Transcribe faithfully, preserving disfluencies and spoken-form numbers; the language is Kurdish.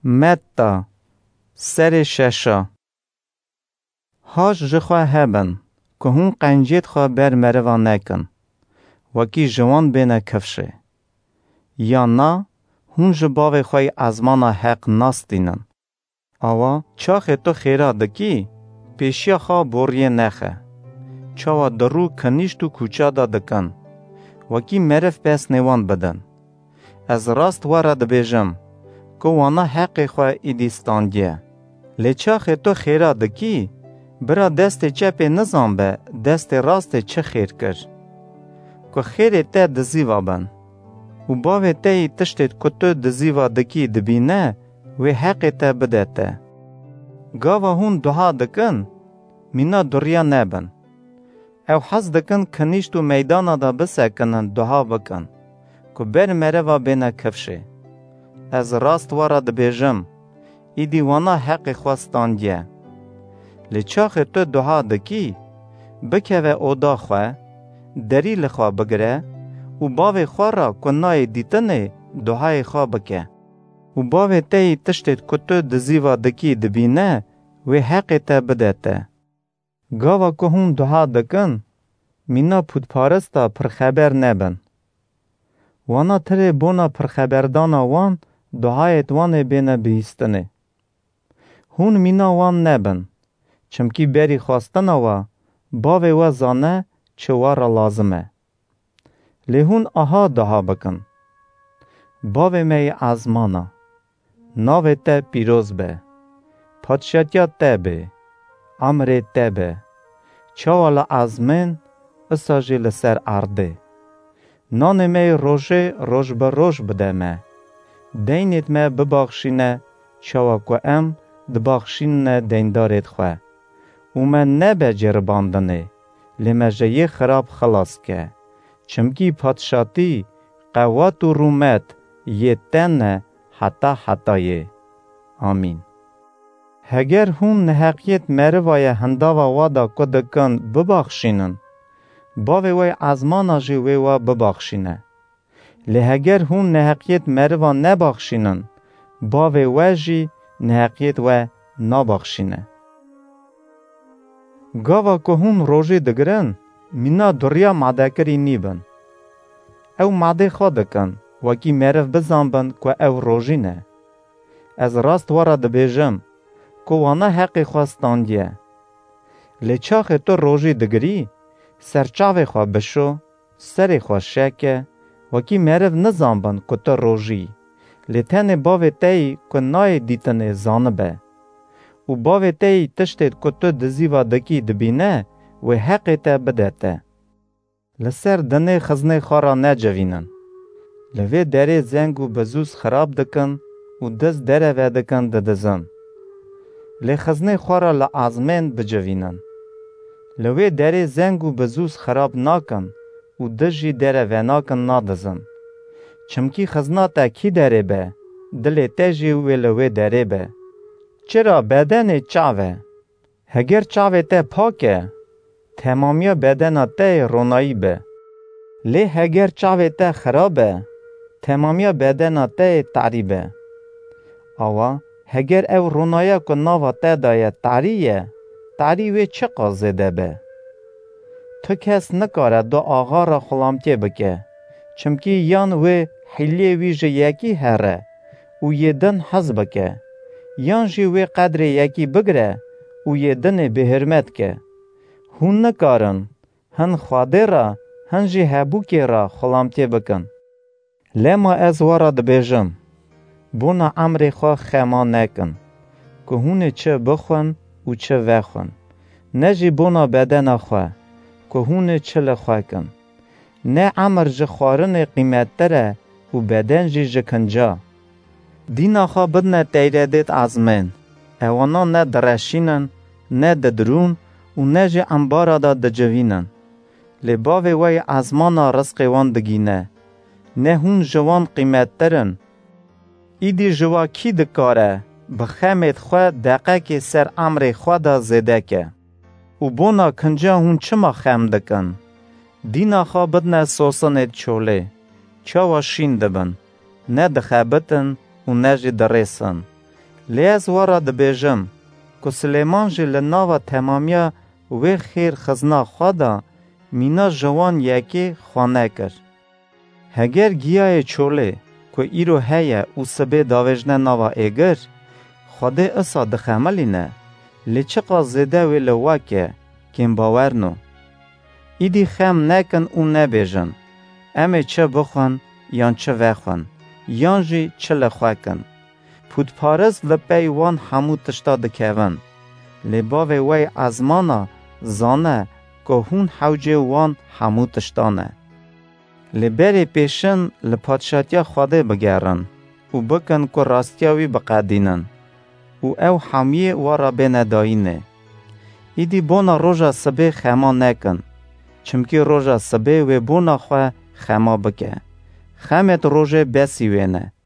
Metta, serê şeşa. Haş ji xwe hebin, ku hûn qencêt xwe ber meriva nekin, wekî ji wan bêne kifşê. Ya na, hûn ji Bavê xwe yî ezmana heq nastînin. Awa, çaxê tu xêra dikî, pêşiya xwe boriyê nexe. Çawa di rû kinîşt û kûça de dikin, wekî meriv pesnê wan bidin. Ez rast we re dibêjim, ku wana heqê xwe îdî standiye. Lê çaxê tu xêra dikî, bira destê çepê nizanbe destê rastê çi xêr kir. Ku xêrê te dizîva bin. Û Bavê te yî tiştê ku tu dizîva dikî dibîne, wê heqê te bide te. Gava hûn duha dikin, mîna duriya nebin. Ew hez dikin kinîşt û meydana de bisekinin, duha bikin, ku ber meriva bêne kifşê. Ez rast we re dibêjim, îdî wana heqê xwe standiye. Lê çaxê tu duha dikî, bikeve oda xwe, derî li xwe bigire û Bavê xwe re ku nayê dîtinê duhayê xwe bike. Û Bavê te yî tiştê ku tu dizîva dikî dibîne, wê heqê te bide te. Gava ku hûn duha dikin, mîna pûtparista pirxeber nebin. Wana tirê bona pirxeberdana wan duhayêt wan ê bêne bihîstinê. Hûn mîna wan nebin, çimkî berî xwestina we Bavê we zane çi we re lazim e. Lê hûn aha duha bikin: Bavê me yê ezmana, navê te pîroz be. Padşatiya te bê, emrê te be. Çawa li ezmên, isa jî li ser erdê. Nanê me yê rojê roj bi roj bide me. Deynêt me bibaxşîne, çawa ku em dibaxşînine deyndarêt xwe. Û me nebe ceribandinê, lê me ji yê xirab xilas ke. Çimkî padşatî, qewat û rûmet yê te ne heta hetayê. Amîn. Heger hûn neheqiyêt meriva ye hindava wa da ku dikin bibaxşînin, Bavê we yê ezmana jî wê wa bibaxşîne. Lê heger hûn neheqiyêt meriva nebaxşînin, Bavê we jî neheqiyêt we nabaxşîne. Gava ku hûn rojî digirin, mîna duriya madekirî nîbin. Ew madê xwe dikin, wekî meriv bizanbin ku ew rojî ne. Ez rast we re dibêjim, ku wana heqê xwe standiye. Lê çaxê tu rojî digirî, ser çavê xwe bişo, serê xwe şeke, wekî meriv nizanbin ku tu rojî yî, lê tenê Bavê te yî ku nayê dîtinê zanibe. Û Bavê te yî tiştê ku tu dizîva dikî dibîne, wê heqê te bide te. Li ser dinê xiznê xwe re necivînin. Li vê derê zeng û bizûz xirab dikin û diz dere vedikin didizin. Lê xiznê xwe re li ezmên bicivînin. Li wê derê zeng û bizûz xirab nakin û diz jî dere venakin nadizin. Çimkî xizna te kî derê be, dilê te jî wê li wê derê be. Çira bedenê çav e. Heger çavê te pak e, temamiya bedena te yê ronayî be. Lê heger çavê te xirab e, temamiya bedena te yê tarî be. Awa, heger ew ronaya ku nava te de ye tarî ye, tarî wê çiqas zêde be. Tu kes nikare du axa re xulamtiyê bike, çimkî yan wê hîliyê wî ji yekî here û yê din hez bike, yan jî wê qedrê yekî bigire û yê dinê bêhurmet ke. Hûn nikarin hin Xwedê re, hin jî hebûkê re xulamtiyê bikin. Lema ez we re dibêjim, bona emrê xwe xema nekin, ku hûn ê çi bixwin û çi vexwin, ne jî bona bedena xwe, ku hûn ê çi li xwe kin. Ne emir ji xwarinê qîmettir e û beden jî ji kinca. Dîna xwe bidine teyredêt ezmên, ewana ne direşînin, ne didirûn û ne jî embara de dicivînin. Lê Bavê we yê ezmana rizqê wan digîne. Ne hûn ji wan qîmettir in? Îdî ji wa kî dikare bi xemêt xwe deqekê ser emrê xwe de zêde ke? Û bona kinca hûn çima xem dikin? Dîna xwe bidine sosinêt çolê, çawa şîn dibin, ne dixebitin û ne jî dirêsin. Lê ez we re dibêjim, ku Silêman jî li nava temamiya wê xêr xizna xwe de mîna ji wan yekê xwe nekir. Heger giyayê çolê ku îro heye û sibê davêjne nava êgir, Xwedê isa dixemilîne, lê çiqas zêde wê li we ke kêmbawerno. Îdî xem nekin û nebêjin, em ê çi bixwin yan çi vexwin, yan jî çi li xwe kin. Pûtparist li pey wan hemû tişta dikevin. Lê Bavê we yê ezmana zane ku hûn hewcê wan hemû tişta ne. Lê berê pêşin li padşatiya Xwedê bigerin û bikin ku rastiya wî biqedînin û ew hemiyê we re bêne dayînê. Îdî bona roja sibê xema nekin, çimkî roja sibê wê bona xwe xema bike. Xemêt rojê besî wê ne.